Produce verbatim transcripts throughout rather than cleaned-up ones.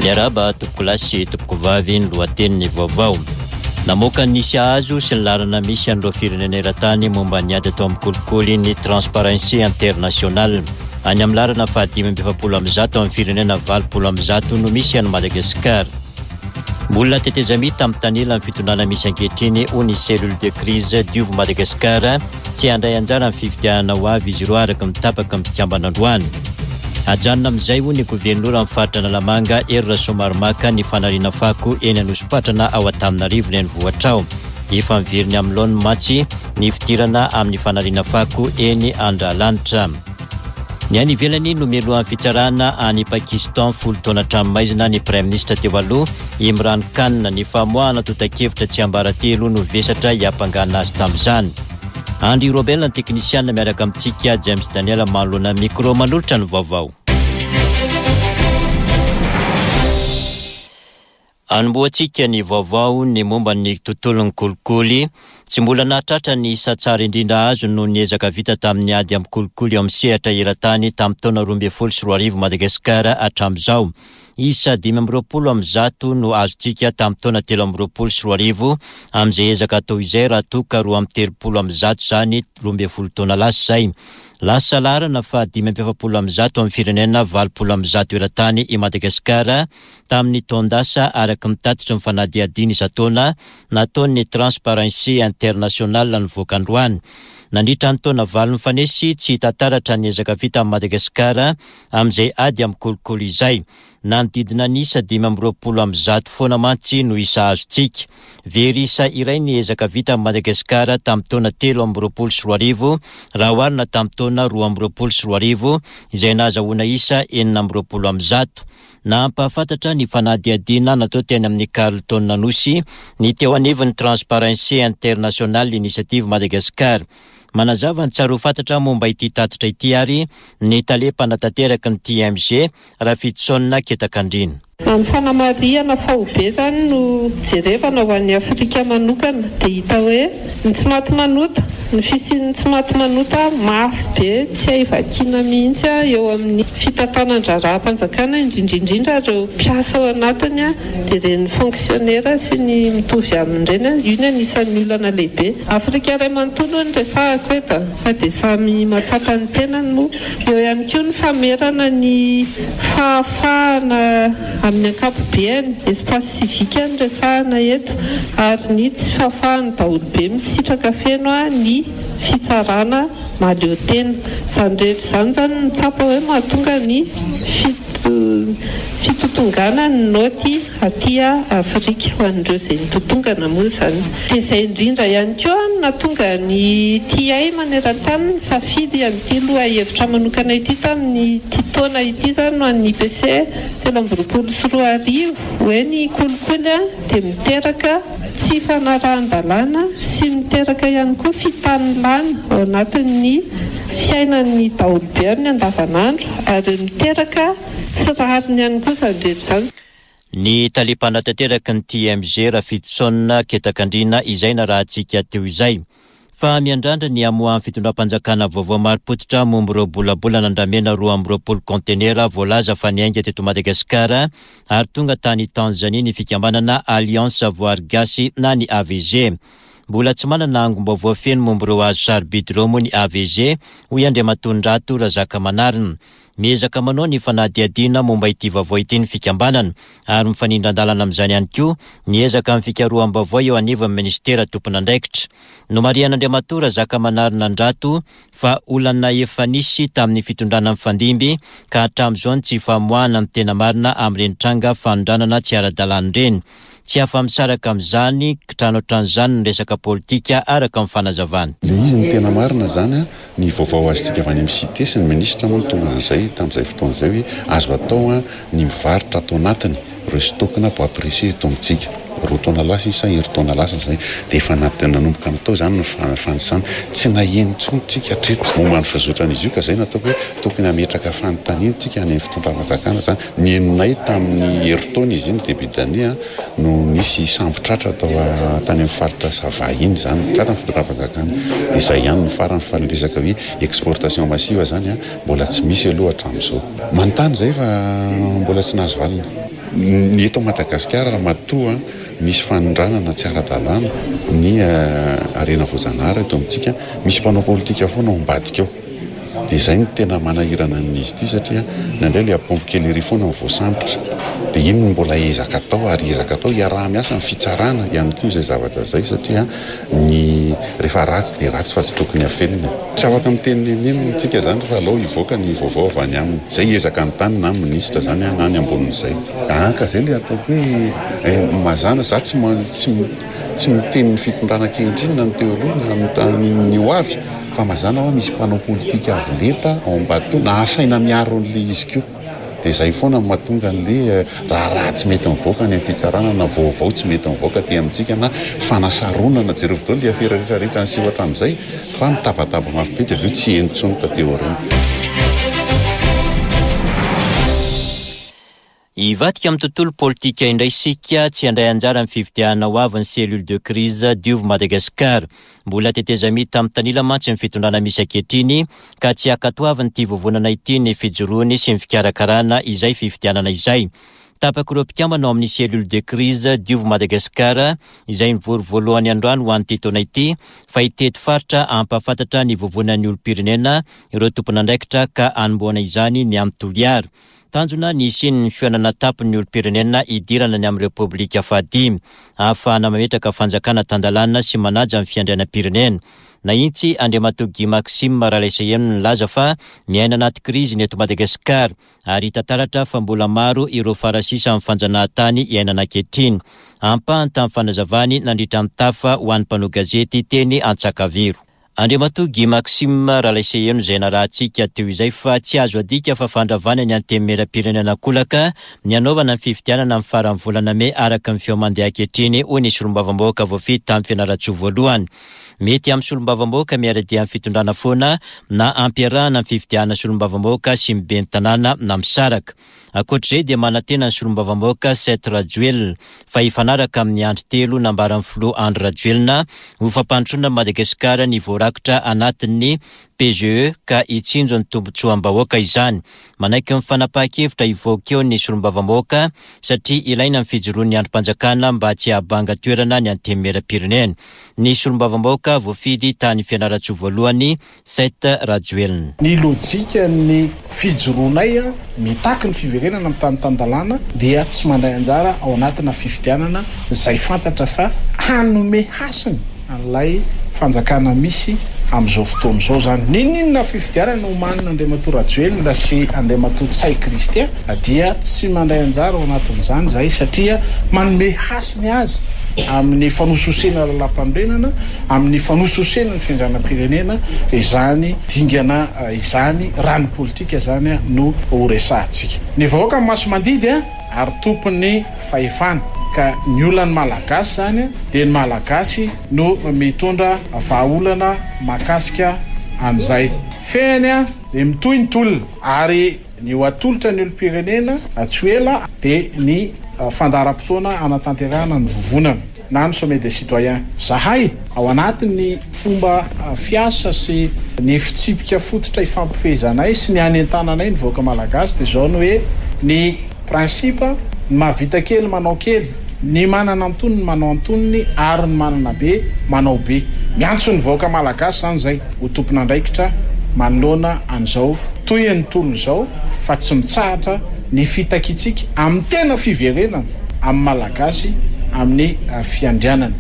Miarahaba tompokolahy sy tompokovavy. Ny lohatenin'ny vaovao: namoaka ny isa azo sy ny laharana misy an'ireo firenena eran-tany momba ny ady atao amin'ny kolikoly ny Transparency International. Any amin'ny laharana fahadimy amby efapolo amby zato amin'ny firenena valopolo amby zato no misy any Madagasikara. Mbola tetezamita mitanila amin'ny fitondrana misy ankehitriny, hoy ny Cellule de crise Diovy Madagasikara. Tsy handray anjara amin'ny fifidianana ho avy izy ireo, araka ny tapaka mpikambana androany. Ajanona amin'izay, hoy ny governora amin'ny faritra Analamanga, Hery Rasoamaromaka, ny fanariana fako eny Anosipatrana ao Antananarivo renivohitra ao. Efa miveriny amin'ny laoniny mantsy ny fidirana amin'ny fanariana fako eny Andralanitra. Ny any ivelany no mialohan'ny fitsarana any Pakistan, folo taona tranomaizina ny prime ministre teo aloha Imran Khan. Ny famoahana tontan-kevitra tsy ambaratelo no vesatra hiampangana azy tamin'izany. Andry Robel ny teknisiana, miaraka amintsika James Daniel manoloana micro manolotra ny vaovao. Anombohantsika ny vaovao ny momba ny tontolon'ny kolikoly. Tsy mbola nahatratra ny isa tsara indrindra azo noho ny ezaka vita tamin'ny ady amin'ny kolikoly eo amin'ny sehatra eran-tany tamin'ny taona roa ambin'ny folo sy roa arivo Madagasikara hatramin'izao. Isa dimy amby roapolo amin'ny zato no azontsika tamin'ny taona telo amby roapolo sy roa arivo amin'izay ezaka atao izay, raha toa ka roa amby telopolo amin'ny zato zany roa ambin'ny folo taona lasa izay. Lasa laharana fa dimy amby efapolo amin'ny zato amin'ny firenena valopolo amin'ny zato eran-tany i Madagasikara tamin'ny taon-dasa, araka ny tatitry ny fanadihadiana isan-taona nataon'ny Transparency International nivoaka androany. Nandritra ny taona valo nifanesy, tsy hita taratra ny ezaka vita amin'ny Madagasikara amin'izay ady amin'ny kolikoly izay. Nanodidina ny isa dimy amby roapolo amin'ny zato foana mantsy no isa azontsika. Very isa iray ny ezaka vita amin'ny Madagasikara tamin'ny taona telo amby roapolo sy roa arivo raha oharina tamin'ny taona roa amby roapolo sy roa arivo izay nahazahoana isa enina amby roapolo amin'ny zato. Nampahafantatra ny fanadihadiana natao teny amin'ny Carlton Anosy ny teo anivon'ny Transparency International Initiative Madagascar. Manazava ny tsara ho fantatra momba ity tatitra ity ary ny tale mpanatanteraka ny T M G, Rafidison Ketakandrina. Ny fanamarihana faobe zany no jerevana ho an'ny Afrika manokana, dia hita hoe ny tsy maty manota, ny fisian'ny tsy maty manota mafy be tsy hay vakiana mihitsy a eo amin'ny fitantanan-draharaham-panjakana, indrindraindrindra ireo mpiasa ao anatiny a dia ireny fonctionnaire sy ny mitovy amin'ireny a io ny anisan'ny olana lehibe. Afrika iray manontolo ny resahako eto fa dia samy mahatsapa ny tenany moa. Eo ihany koa ny famerana ny fahafahana amin'ny ankapobeany, espace civique ny resahana eto, ary ny tsy fahafahany daholobe misitraka feno a ny fitsarana mahaleo tena. Izany rehetra izany zany no tsapa hoe mahatonga ny fitotongana ny naoty aty Afrika ho an'ireo izay nitotongana moa zany. Dia izay indrindra ihany koa no nahatonga ny T I maneran-tany ny safidy an'ity loha hevitra manokana ity tamin'ny ty taona ity zany no an'ny I P C telo amby roapolo sy roa arivo hoe ny kolikoly a dia miteraka tsy fanarahan-dalàna sy miteraka ihany koa fitanilana ao anatin'ny fiainan'ny daholobe amin'ny andavanandro, ary miteraka tsy rariny ihany koa izany rehetra izany. Ny tale mpanatanteraka ny T M G, Rafidison Ketakandrina, izay narahantsika teo izay. Fa miandrandra ny amoahan'ny fitondram-panjakana vaovao marim-pototra momba ireo bolabolana andramena roa amby roapolo contenera voalaza fa niainga teto Madagasikara ary tonga tany Tanzania ny fikambanana Alliance Voary Gasy na ny A V G. Mbola tsy manana angom-baovao feno momba ireo hazo sarobidy ireo moa ny A V G, hoy Andriamatoa Ndrato Razakamanarina. Miezaka manao ny fanadihadiana momba ity vaovao ity ny fikambanana, ary mifanindran-dalana amin'izany ihany koa miezaka amin'ny fikaroham-baovao eo anivon'ny ministera tompon'andraikitra. Nomarihan'Andriamatoa Razakamanarina Ndrato fa olana efa nisy tamin'ny fitondrana mifandimby ka hatramin'izao ny tsy famoahana ny tena marina amin'ireny tranga fanondranana tsy ara-dalàna ireny. Tsy afa-misaraka amin'izany kitrano ohatran'izany ny resaka politika, araka ny fanazavana. Le izy ny tena marina zany a ny vaovao azontsika avy any amin'ny C I T E sy ny ministra moa no tonga an'izay tamin'izay fotoana izay hoe azo atao a ny mivarotra atao anatiny ireo stock-na bois précieux eto amintsika. Roa taona lasa izy sa herintaona lasa zay dia efa nanomboka natao zany ny fanisana. Tsy naheno intsony tsika hatreto momba ny fizotran'izy io, ka zay nataoko hoe tokony hametraka fanontaniana tsika any amin'ny fitondram-panjakana zany. Ny henonay tamin'ny herintaona izy iny, début d'année a no nisy sambo tratra atao tany amin'ny faritra Sava iny zany, tratra ny fitondram-panjakana, dia zay ihany ny farany. Fa ny resaka hoe exportation massive zany a mbola tsy misy aloha hatramin'izao. Manontany zay fa mbola tsy nahazo valina. Ny eto Madagasikara raha matoa misy fanondranana tsy ara-dalàna ny harena voajanahary eto amintsika, misy mpanao politika foana ao ambadika ao. Dia izay no tena manahirana amin'izy ity satria indraindray ilay ampombo kely ery foana no voasambotra. Dia iny no mbola ezaka atao ary ezaka atao hiaraha-miasa amin'ny fitsarana ihany koa izay zavatra izay satria ny rehefa ratsy dia ratsy fa tsy tokony hafenina. Tsy afaka miteny n'inon'inona isika izany fa aleo hivoaka ny vaovao avy any aminy. Izay ezaka ny tany na ny minisitra izany na ny ambonin'izay. Ka izay ilay ataoko hoe mazàna za tsy tsy tsy miteny ny fitondrana ankehitriny na ny teo aloha na ny ho avy fa mazàna hoe misy mpanao politika avo lenta ao ambadika ao na asaina miaro an'ilay izy koa. Dia izay foana no mahatonga an'ilay raharaha tsy mety mivoaka any amin'ny fitsarana na vaovao tsy mety mivoaka aty amintsika na fanasaronana. Jereo daholo ilay afera rehetrarehetra niseho hatramin'izay fa mitabataba mafy be dia avy eo tsy heno intsony taty aoriana. Hivadika amin'ny tontolo politika indray isika, tsy handray anjara amin'ny fifidianana ho avy ny cellule de crise Diovy Madagasikara. Mbola tetezamita amin'ny tanila mantsy ny fitondrana misy ankehitriny ka tsy ankatoavin'ity vovonana ity ny fijoroany sy ny fikarakarana izay fifidianana izay. Tapak'ireo mpikambana ao amin'ny cellule de crise Diovy Madagasikara izay nivory voalohany androany ho an'ity taona ity fa hitety faritra hampahafantatra ny vovonan'ny olom-pirenena ireo tompon'andraikitra ka hanombohana izany ny amin'ny Toliara. Tanjona ny hisian'ny fihaonana tampon'ny olom-pirenena hidirana ny amin'ny Repoblika fahadimy ahafahana mametraka fanjakana tan-dalàna sy manaja ny fiandrianam-pirenena. Nahitsy Andriamatoa Guy Maxime Ralaiseheno nilaza fa miaina anaty krizy ny eto Madagasikara ary hita taratra fa mbola maro ireo farasisa amin'ny fanjanahantany iainana ankehitriny. Ampahany tamin'ny fanazavany nandritra ny tafa ho an'ny mpanao gazety teny Antsakaviro. Andriamatoa Guy Maxime Ralaiseheno izay narahantsika teo izay fa tsy azo adika fa fandravana ny antenimieram-pirenena kolaka ny hanaovana ny fifidianana amin'ny faran'ny volana mey araka ny feo mandeha ankehitriny, hoy ny solombavambahoaka voafidy tamin'ny Fianarantsoa voalohany. Mety amin'ny solombavambahoaka miara-dia amin'ny fitondrana foana na ampiarahana ny fifidianana solombavambahoaka sy ny ben'ny tanàna na misaraka. Ankoatr'izay dia manantena ny solombavambahoaka Seth Rajoelina fa hifanaraka amin'ny andry telo nambaran'ny filoha Andry Rajoelina ho fampandrosoana Madagasikara ny voarakitra anatin'ny P G E ka hitsinjo ny tombontsoam-bahoaka izany. Manaiky ny fanapahan-kevitra hivoaka eo ny solombavambahoaka satria ilaina ny fijoroan'ny andrim-panjakana mba tsy hahabanga toerana ny antenimieram-pirenena. Ny solombavambahoaka voafidy tany Fianarantsoa voalohany Seth Rajoelina. Ny lojikan'ny fijoroanay mitaky ny fiverenana amin'ny tany tan-dalàna dia tsy mandray anjara ao anatina fifidianana izay fantatra fa hanome hasiny an'ilay fanjakana misy amin'izao fotoana izao zany. N'inon'inona fifidianana omanina Andriamatoa Rajoelina sy Andriamatoa Ntsay Christian dia tsy mandray anjara ao anatin'izany zahay satria manome hasiny azy amin'ny fanososena lalam-panorenana, amin'ny fanososena ny fiandrianam-pirenena izany dingana izany raha ny politika zany no ho resahantsika. Ny vahoaka maso mandidy ary tompon'ny fahefana ka ny olan'ny Malagasy zany dia ny Malagasy no mitondra vahaolana mahakasika an'izay. Fehiny dia mitohy ny tolona ary ny ho atolotra ny olom-pirenena tsy ho ela dia ny fandaharam-potoana hanatanterahana ny vovonana na ny sommet des citoyens. Zahay ao anatin'ny fomba fiasa sy ny fitsipika fototra ifampifehezanay sy ny hanentananay ny vahoaka malagasy dia izao no hoe ny principe ny mahavita kely manao kely, ny manana antonony manao antonony ary ny manana be manao be. Miantso ny vahoaka malagasy zany zay ho tompon'andraikitra manoloana an'izao tohin'ny tolona izao fa tsy mitsahatra ny fitakitsika amin'ny tena fiverenana amin'ny malagasy amin'ny fiandrianana.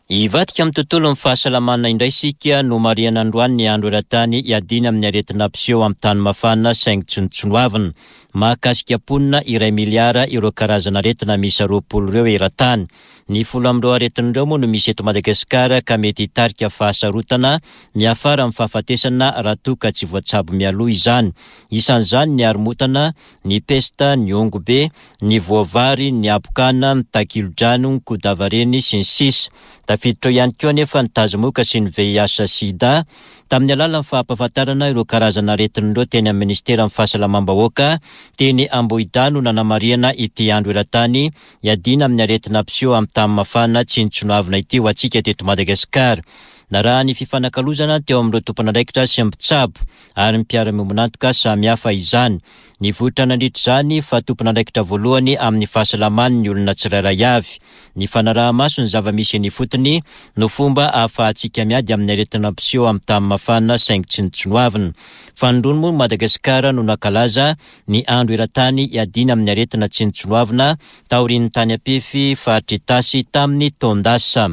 Hivadika amin'ny tontolon'ny fahasalamana indray isika no marihana androany ny andro eran-tany hiadiana amin'ny aretina mpiseho amin'ny tany mafana saingy tsinontsinoavina. Mahakasika mponina iray miliara ireo karazana aretina miisa roapolo ireo eran-tany. Ny folo amin'ireo aretina ireo moa no misy eto Madagasikara ka mety hitarika fahasarotana miafara amin'ny fahafatesana raha toa ka tsy voatsabo mialoha izany. Isan'izany ny haromotana, ny pesta, ny ongobe, ny voavary, ny habokana, ny takilodrano, ny kodavareny sy ny sisa. Tafiditra ao ihany koa anefa ny tazomoka sy ny V I H sida. Tamin'ny alalan'ny fampahafantarana ireo karazana aretina ireo teny amin'ny ministeran'ny fahasalamam-bahoaka teny Ambohidahy no nanamarihana ity andro eran-tany hiadiana amin'ny aretina mpiseho amin'ny tany mafana tsinontsinoavina ity ho antsika teto Madagasikara. Narahan'ny fifanakalozana teo amin'ireo tompon'andraikitra sy mpitsabo ary ny mpiara-miombon'antoka samihafa izany. Nivoitra nandritra izany fa tompon'andraikitra voalohany amin'ny fahasalamany ny olona tsirairay avy. Ny fanaraha-maso ny zava-misy eny ifotony no fomba ahafahantsika miady amin'ny aretina mpiseho amin'ny tany mafana saingy tsy nitsinoavina. Fanindroany moa Madagasikara no nankalaza ny andro eran-tany iadiana amin'ny aretina tsy nitsinoavina taorian'ny tany Ampefy faritra Itasy tamin'ny taon-dasa.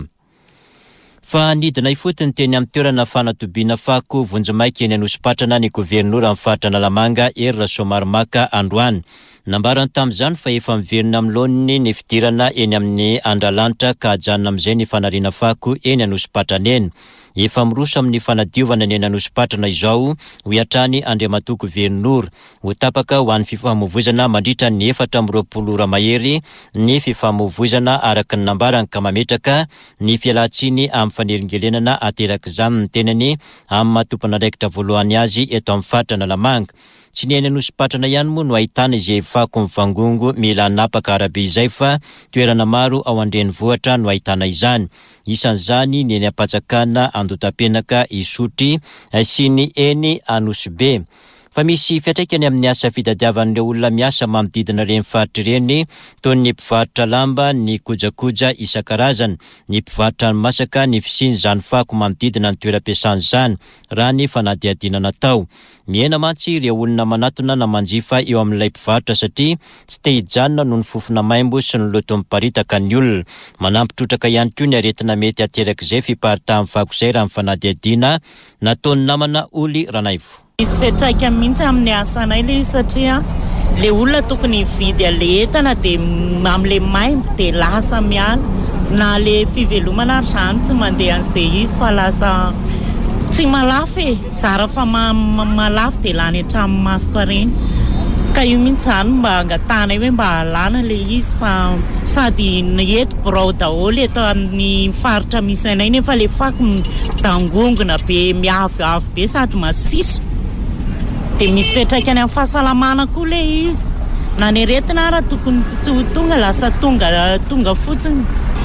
Fa nidina ifotony teny amin'ny toerana fanatobiana fako vonjimaika eny Anosipatrana ny governoran'ny faritra Analamanga Hery Rasoamaromaka androany. Nambarany tamin'izany fa efa miverina amin'ny laoniny ny fidirana eny amin'ny Andralanitra ka hajanona amin'izay ny fanariana fako eny Anosipatrana eny. Efa miroso amin'ny fanadiovana ny eny Anosipatrana izao, hoy hatrany Andriamatoa Governora. Ho tapaka ho an'ny fifamoivoizana mandritra ny efatra amby roapolo ora mahery ny fifamoivoizana araka ny nambarany ka mametraka ny fialan-tsiny amin'ny fanelingelenana aterak'izany ny tenany amin'ny maha tompon'andraikitra voalohany azy eto amin'ny faritra Analamanga. Tsy ny eny Anosipatrana ihany moa no ahitana izay fako mivangongo mila hanapaka arabe izay fa toerana maro ao an-drenivohitra no ahitana izany. Isan'izany ny eny Ampatsakana, Andotapenaka, Isotry sy ny eny Anosibe. Fa misy fiantraikany amin'ny asa fitadiavan'ireo olona miasa manodidina ireny faritra ireny toy ny mpivarotra lamba, ny kojakoja isan-karazany, ny mpivarotra ny masaka, ny fisian'izany fako manodidina ny toeram-piasana izany, raha ny fanadihadiana natao. Mihena mantsy ireo olona manatona na manjifa eo amin'ilay mpivarotra satria tsy te hijanona noho ny fofona maimbo sy ny loto miparitaka ny olona. Manampy trotraka ihany koa ny aretina mety aterak'izay fiparitahan'ny fako izay raha ny fanadihadiana nataon'ny namana Oly Ranaivo. Misy fiantraikany mihitsy amin'ny asanay ilay izy satria le olona tokony hividy an'ilay entana dia amin'ilay maimbo dia lasa miala na le fivelomana ary izany tsy mandeha an'izay izy fa lasa tsy malafo e, zara fa malafo dia lany hatramin'ny masoko ireny. Ka io mihitsy izany mba angatahanay hoe mba alana ilay izy fa sady eto birao daholo eto amin'ny faritra misy anay nefa ilay fako midangongona be miavoavo be sady masiso. Dia misy fiantraikany amin'ny fahasalamana koa ilay izy. Na ny aretina ara tokony tsy ho tonga lasa tonga tonga fotsiny.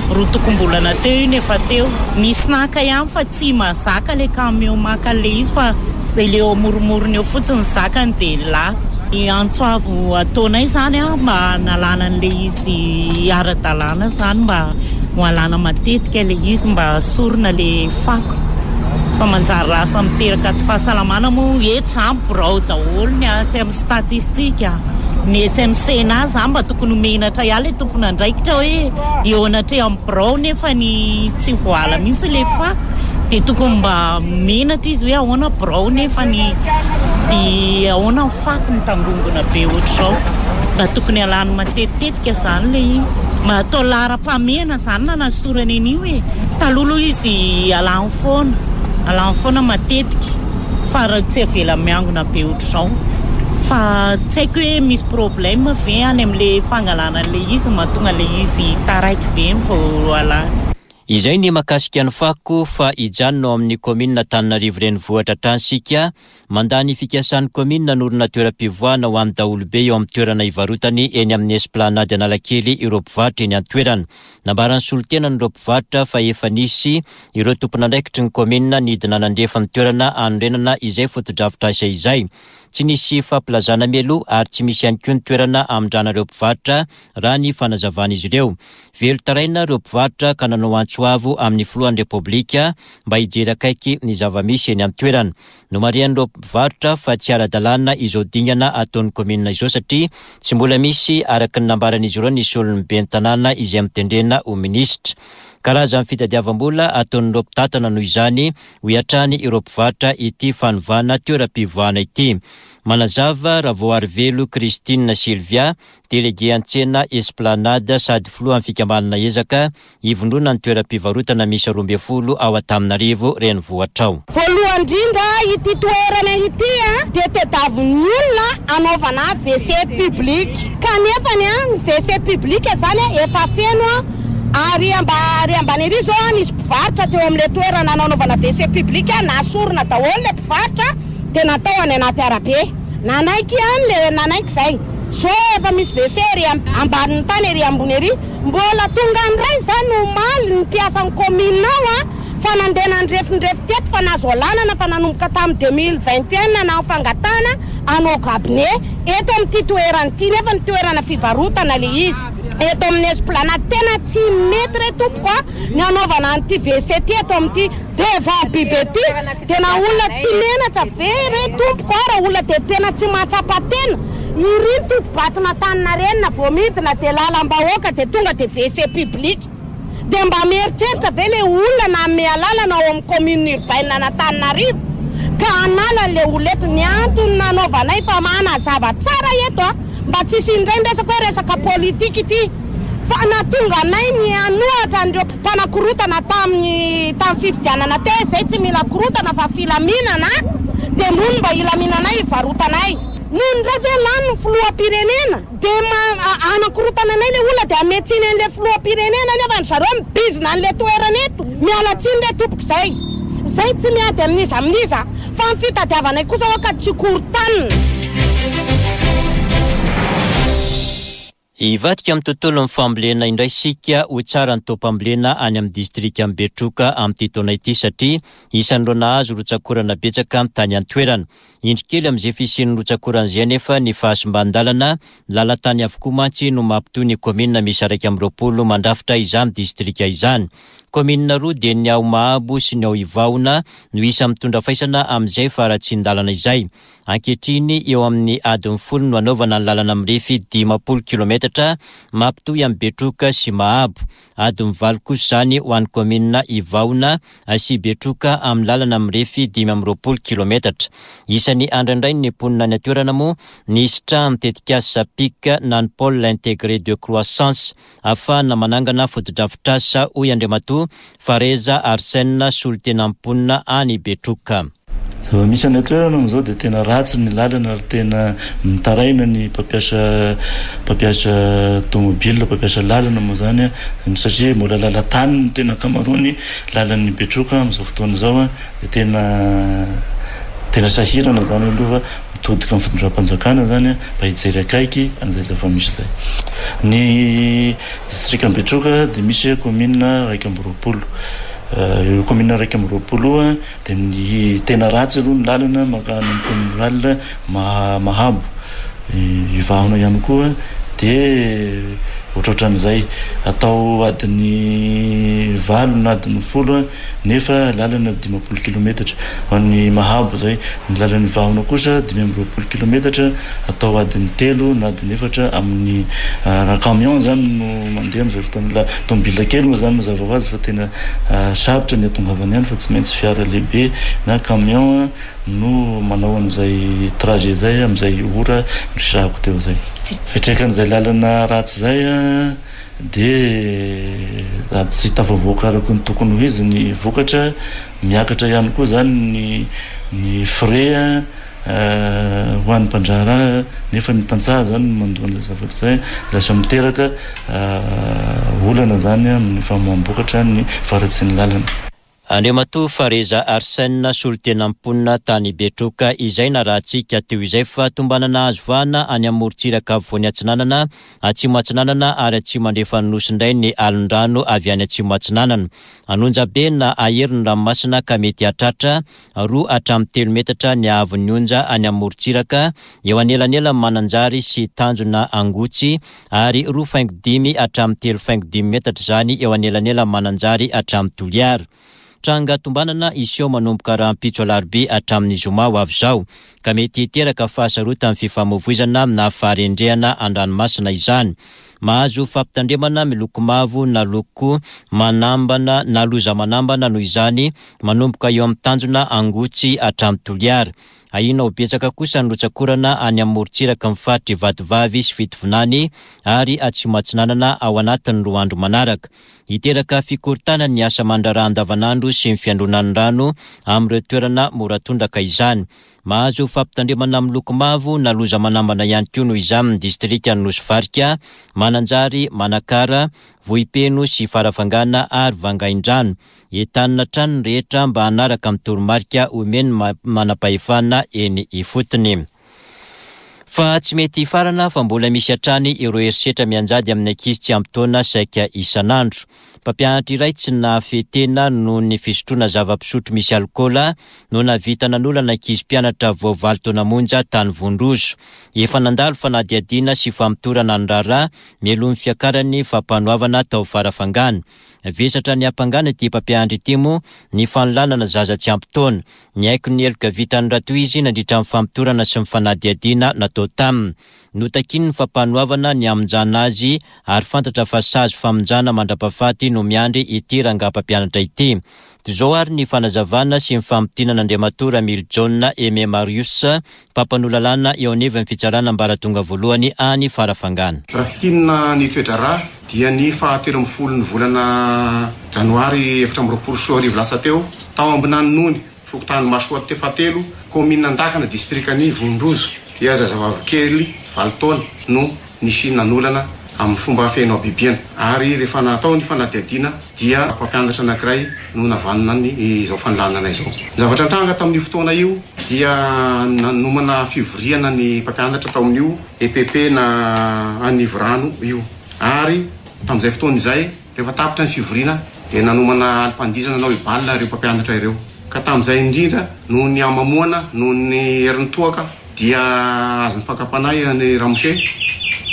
Roa tokom-bolana teo iny efa teo. Nisy naka ihany fa tsy mahazaka ilay camion maka an'ilay izy fa ilay eo amoromorony eo fotsiny zakany dia lasa. Ny antso avo ataonay izany a mba hanalana an'ilay izy ara-dalàna izany mba ho alana matetika ilay izy mba asorina ilay fako. Fa manjary lasa miteraka tsy fahasalamana moa eto izany birao daholo ny atsy amin'ny statistika. Ny etsy amin'ny Sénat izany mba tokony ho menatra ihany ilay tompon'andraikitra hoe eo anatrehan'ny birao nefa ny tsy voala mihitsy ilay fako. Dia tokony mba menatra izy hoe ahoana birao nefa ny dia ahoana ny fako mitangongona be ohatr'izao. Mba tokony alany matetitetika izany ilay izy. Mba atao laharam-pahamehana izany nanasorana an'io e. Taloha aloha izy alany foana, alany foana matetika fa raha tsy avela miangona be ohatr'izao. Fa tsy haiko hoe misy problème ve any amin'ilay fangalana an'ilay izy mahatonga ilay izy taraiky be ny vao alany. Izay ny mahakasika ny fako fa hijanona ao amin'ny kaominina Antananarivo renivohitra hatrany isika. Mandà ny fikasan'ny kaominina hanorina toeram-pivoahana ho an'ny daholobe eo amin'ny toerana ivarotany eny amin'ny Esplanade Analakely ireo mpivarotra eny an-toerana. Nambaran'ny solontenan'ireo mpivarotra fa efa nisy ireo tompon'andraikitry ny kaominina nidina nandrefa ny toerana hanorenana izay fotodrafitrasa izay. Tsy nisy fampilazana mialoha ary tsy misy ihany koa ny toerana hamindrana ireo mpivarotra raha ny fanazavan'izy ireo. Velon-taraina ireo mpivarotra ka nanao antso avo amin'ny filohan'ny Repoblika mba hijery akaiky ny zava-misy eny an-toerana. Nomarihan'ireo mpivarotra fa tsy ara-dalàna izao dingana ataon'ny kaominina izao satria tsy mbola misy araka ny nambaran'izy ireo ny solon'ny ben'ny tanàna izay mitendrena ho minisitra. Karazan'ny fitadiavam-bola ataon'ireo mpitantana noho izany hoy hatrany ireo mpivarotra ity fanovana toeram-pivoahana ity. Manazava Ravoarivelo Christine Sylvia, délégué an-tsena Esplanade sady filohan'ny fikambanana ezaka ivondrona ny toeram-pivarotana misy roa ambin'ny folo ao Antananarivo renivohitra ao. Voalohany indrindra ity toerana ity a dia tadiavin'ny olona anaovana W C public. Kanefa ny a ny W C public zany efa feno a ary amba ary ambany ery zao a nisy mpivarotra teo amin'ilay toerana nanaovana W C public nasorina daholo ilay mpivarotra dia natao any anaty arabe. Nanaiky ihany le nanaiky zay. Zao efa misy W C ery ambanin'ny tany ery ambony ery. Mbola tonga indray zany omaly ny mpiasan'ny commune ao a Fa nandeha nandrefindrefy teto fa nahazo alalana fa nanomboka tamin'ny deux mille vingt et un nanao fangatahana hanao cabinet eto amin'ity toerana ity, nefa ny toerana fivarotana le izy eto amin'ny esplanade. Tena tsy mety re tompoko a ny hanaovana an'ity W C ty eto amin'ity devant biby ety. Tena olona tsy menatra ve re tompoko a, raha olona dia tena tsy mahatsapa tena. Iriny totobatina Antaninarenina vao midina dia lalam-bahoaka dia tonga dia W C public. Dia mba mieritreritra ve le olona nanome alalana ao amin'ny commune urbaine an'Antananarivo ka hanala le olona eto? Ny antony nanaovanay fa manazava tsara eto a, mba tsy hisy indray ny resaka hoe resaka politika ity, fa nahatonga anay ny hanohatra an'ireo mpanakorotana tamin'ny, tamin'ny fifidianana teo, izay tsy mila korotana fa filaminana, dia mony mba hilaminanay hivarotanay. Noho ny indray ve lany ny filoham-pirenena dia ma-, a-, anakorotana anay le olona dia hametsiny an'le filoham-pirenena nefa ny zareo mibizina an'le toerana eto. Miala tsiny re tompoko izay. Izay tsy miady amin'iza amin'iza fa ny fitadiavanay kosa hoa ka tsy korotanina. Hivadika amin'ny tontolon'ny fambolena indray isika. Ho tsara ny taom-pambolena any amin'ny distrikan'i Betroka amin'ity taona ity satria isan'ireo nahazo rotsakorana betsaka tany an-toerana. Indro kely amin'izay fisian'ny rotsakorana izay anefa ny fahasimban-dalana, lalan-tany avokoa mantsy no mampitohy ny kaominina miisa iraika amby roapolo mandrafitra izany distrika izany. Kaominina roa dia ny ao Mahabo sy ny ao Ivahona no isa mitondra faisana amin'izay faharatsian-dalana izay. Ankehitriny eo amin'ny adiny folo no anaovana ny lalana mirefy dimampolo kilometatra mampitohy amin'ny Betroka sy Mahabo. Adiny valo kosa izany ho an'ny kaominina Ivahona sy Betroka amin'ny lalana mirefy dimy amby roapolo kilometatra. Isan'ny andrandrain'ny mponina any an-toerana moa ny hisitrahan'ny tetikasa P I C na ny Pôle Intégré de Croissance ahafahana manangana fotodrafitrasa, hoy Andriamatoa Fareza Arsène, solontenan'ny mponina any Betroka. Zava-misy any an-toerana amin'izao dia tena ratsy ny lalana ary tena mitaraina ny mpampiasa, mpampiasa tomobile, mpampiasa lalana moa zany a, satria mbola lalan-tany no tena ankamaroany lalan'ny Betroka amin'izao fotoana izao a, dia tena, tena sahirana zany aloha fa mitodika amin'ny fitondram-panjakana zany a, mba hijery akaiky an'izay zava-misy izay. Ny distrikan'i Betroka dia misy kaominina iraika amby roapolo. Io kaominina iraika amby roapolo io a, dia ny tena ratsy aloha ny lalana mankany amin'ny commune rurale Ma-, Mahabo, Ivahona ihany koa dia ohatrohatran'izay. Atao adiny valo na adiny folo a, nefa lalana dimampolo kilometatra. Ho an'ny Mahabo izay, ny lalan'ny Ivahona kosa dimy amby roapolo kilometatra, atao adiny telo na adiny efatra amin'ny, ah, raha camion zany no mandeha amin'izay fotoana. La tomobile kely moa zany mazava ho azy fa tena, ah, sarotra ny hatongavany ihany fa tsy maintsy fiara lehibe na camion no manao an'izay trajet izay amin'izay ora resahako teo izay. Fiantraikan'izay lalana ratsy izay a, dia raha tsy tafavoaka araka ny tokony ho izy ny vokatra, miakatra ihany koa zany ny, ny frais a, eh, ho an'ny mpandraharaha, nefa ny tantsaha zany no mandoa an'ilay zavatra izay, lasa miteraka, eh, olana zany amin'ny famoaham-bokatra ny faharatsian'ny lalana. Andriamatoa Fareza Arsène, solontenan'ny mponina tany Betroka, izay narahantsika teo izay fa tombanana azo vahana any amin'ny morontsiraka afovoany atsinanana, atsimo atsinanana ary atsimo andrefan'ny nosy indray ny alon-drano avy any atsimo atsinanana. Anonjabe na ahery ny ranomasina ka mety hahatratra roa hatramin'ny telo metatra ny haavon'ny onja any amin'ny morontsiraka eo anelanelan'ny Mananjary sy Tanjona Angotsy ary roa faingo dimy hatramin'ny telo faingo dimy metatra izany eo anelanelan'ny Mananjary hatramin'ny Toliara. Tranga tombanana iseho manomboka rahampitso alarobia hatramin'ny zoma ho avy izao, ka mety hiteraka fahasarotan'ny fifamoivoizana na faharendrehana an-dranomasina izany. Mahazo fampitandremana miloko mavo na loko manambana na loza manambana noho izany manomboka eo amin'ny Tanjona Angotsy hatramin'ny Toliara. Ahiana ho betsaka kosa ny rotsakorana any amin'ny morontsiraka amin'ny faritry Vatovavy sy Fitovinany ary Atsimo Atsinanana ao anatin'ny roa andro manaraka. Hiteraka fikorontanana ny asa mandraharaha andavanandro sy ny fiandronan'ny rano amin'ireo toerana mora tondraka izany. Mahazo fampitandremana miloko mavo na loza manambana ihany koa noho izany ny distrikan'i Nosy Varika, Mananjary, Manakara, Vohipeno sy Farafangana ary Vangaindrano. Entanina hatrany ny rehetra mba hanaraka amin'ny toromarika omen'ny ma-, manam-pahefana eny ifotony. Fa tsy mety hifarana fa mbola misy hatrany ireo herisetra mianjady amin'ny ankizy tsy ampy taona saika isan'andro. Mpampianatra iray tsy nahafehy tena noho ny fisotroana zava-pisotro misy alikaola no nahavita nanolana ankizy mpianatra vao valo taona monja tany Vondrozo. Efa nandalo fanadihadiana sy famotorana ny raharaha mialoha ny fiakarany fampanoavana tao Farafangana. Vesatra ny ampangana ity mpampianatra ity moa ny fanolanana zaza tsy ampy taona. Niaiky ny heloka vitany raha toy izy nandritra ny famotorana sy ny fanadihadiana natao taminy. Notakiany ny fampanoavana ny hamonjana azy ary fantatra fa sazy famonjana mandra-pahafaty no miandry ity rangahy mpampianatra ity. Toy izao ary ny fanazavana sy ny famintinana Andriamatoa Ramilijaona Aimé Marius, mpampanoa lalàna eo anivon'ny fitsarana ambaratonga voalohany any Farafangana. Raha fintinina ny toe-draharaha dia ny fahatelo ambin'ny folo ny volana janoary efatra amby roapolo sy roa arivo lasa teo, tao Ambinanonony, fokontany Masoa fahatelo, kaominina Andakana, distrikan'i Vondrozo, dia zazavavy kely valo taona no nisy nanolana amin'ny fomba feno habibiana. Ary rehefa natao ny fanadihadiana dia mpampianatra anankiray no navanona ny izao fanolanana izao. Ny zavatra nitranga tamin'io fotoana io dia nanomana fivoriana ny mpampianatra tao amin'io E P P na Anivorano io. Ary tamin'izay fotoana izay, rehefa tapitra ny fivoriana dia nanomana alim-pandihizana nanao ibal ireo mpampianatra ireo. Ka tamin'izay indrindra noho ny hamamoana, noho ny herin'ny toaka dia azon'ny fakam-panahy ny ramose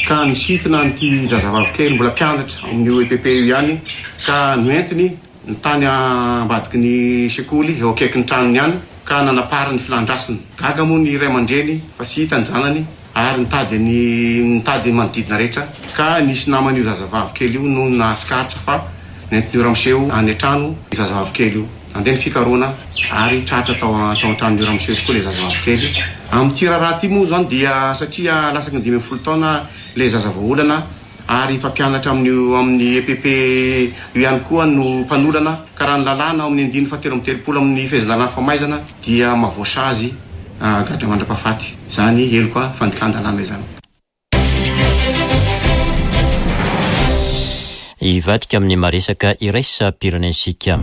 ka nisintona an'ity zazavavy kely mbola mpianatra amin'io E P P io ihany ka noentiny ny tany ambadiky ny sekoly eo akaikin'ny tranony ihany ka nanapary ny filan-drasiny. Gaga moa ny ray aman-dreny fa tsy hita ny zanany ary nitady ny nitady ny manodidina rehetra ka nisy naman'io zazavavy kely io no nahatsikaritra fa nentin'io ramose io any an-trano io zazavavy kely io. Nandeha ny fikarohana ary tratra tao tao an-tranon'io ramose io tokoa ilay zazavavy kely. Amin'ity raharaha ity moa zany dia satria latsaky ny dimy ambin'ny folo taona ilay zaza voaolana ary mpampianatra amin'io amin'ny E P P io ihany koa no mpanolana ka raha ny lalàna ao amin'ny andininy fahatelo amby telopolo amin'ny fehezan-dalàna famaizana dia mahavoasazy gadra mandra-pahafaty izany heloka fandikan-dalàna izany. Hivadika amin'ny maresaka iraisam-pirenentsika.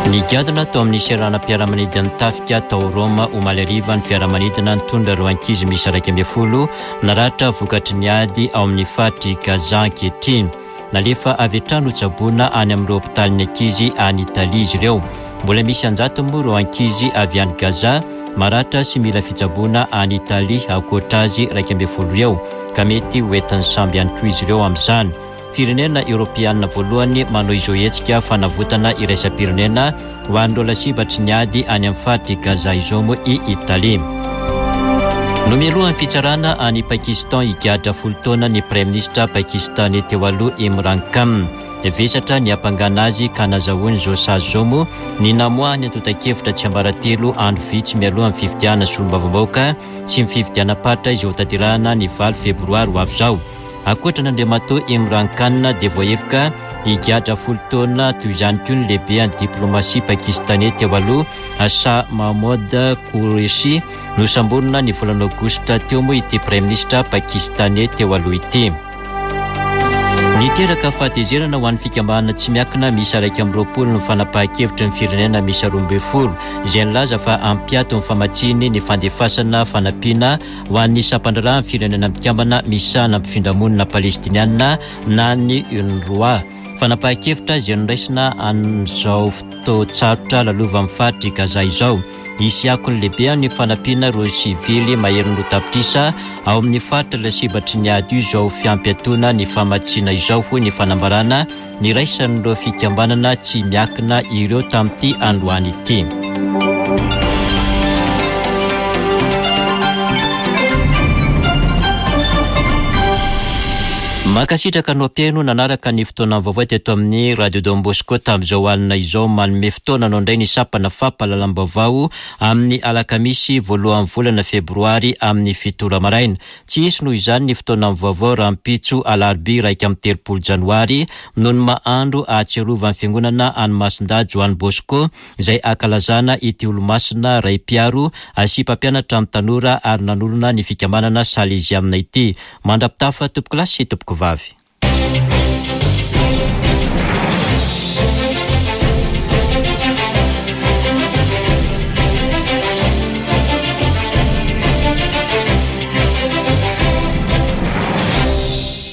Nigadona tao amin'ny seranam-piaramanidin'ny tafika tao Roma omaly hariva ny fiaramanidina nitondra ireo ankizy miisa iraika ambin'ny folo naratra vokatry ny ady ao amin'ny faritry Gaza ankehitriny. Nalefa avy hatrany hotsaboina any amin'ireo hopitalin'ny ankizy any Italia izy ireo. Mbola misy anjato moa ireo ankizy avy any Gaza maratra sy mila fitsaboana any Italia ankoatra azy iraika ambin'ny folo ireo ka mety ho entin'ny samby ihany koa izy ireo amin'izany. Firenena eoropeanina voalohany manao izao hetsika fanavotana iraisam-pirenena ho an'ireo lasibatry ny ady any amin'ny faritry Gaza izao moa i Italia. Nomelohan'ny fitsarana any Pakistan higadra folo taona ny praiminisitra pakistanais teo aloha Imran Khan. Vesatra ny ampangana azy ka nazahoany izao sazy izao moa ny namoahany antontan-kevitra tsiambaratelo andro vitsy mialoha ny fifidianana solombavambahoaka sy ny fifidianam-paritra izay hotanterahana ny valo febroary ho avy izao. Ankoatra an'Andriamatoa Imran Khan dia voaheloka higadra folo taona toy izany koa ny lehibe an'ny diplomasia pakistanais teo aloha Shah Mahmood Qureshi. Nosamborina ny volana aogositra teo moa ity praiminisitra pakistanais teo aloha ity. Niteraka fahatezerana ho an'ny fikambanana tsy miankina miisa iraika amby roapolo ny fanapahan-kevitry ny firenena miisa roa ambin'ny folo izay nilaza fa hampiato ny famatsiany ny fandefasana fanampiana ho an'ny sampan-draharahan'ny firenena mikambana misahana mpifindramonina palestiniana na ny UNRWA. Fanapahan-kevitra izay noraisina amin'izao fotoan-tsarotra lalovan'ny faritry Gaza izao. Hisy akony lehibe amin'ny fanampiana ireo sivily maherin'ny roa tapitrisa ao amin'ny faritra lasibatry ny ady io izao fiampiatoana ny famatsiana izao, hoy ny fanambarana niraisan'ireo fikambanana tsy miankina ireo tamin'ity androany ity. Mankasitraka anao mpihaino nanaraka ny fotoana vaovao teto amin'ny Radio Don Bosco tamin'izao alina izao. Manome fotoana anao indray ny sampana fampahalalam-baovao amin'ny alakamisy voalohan'ny volana febroary amin'ny fito ora maraina. Tsy hisy noho izany ny fotoana vaovao rahampitso alarobia iraika amby telopolo janoary noho ny mahandro ahatsiarovan'ny fiangonana any Masindahy Joany Bosco izay ankalazana ity olomasina ray mpiaro sy mpampianatra ny tanora ary nanorina ny fikambanana Salesianina ity. Mandra-pitafa tompoko lahy sy tompoko vavy.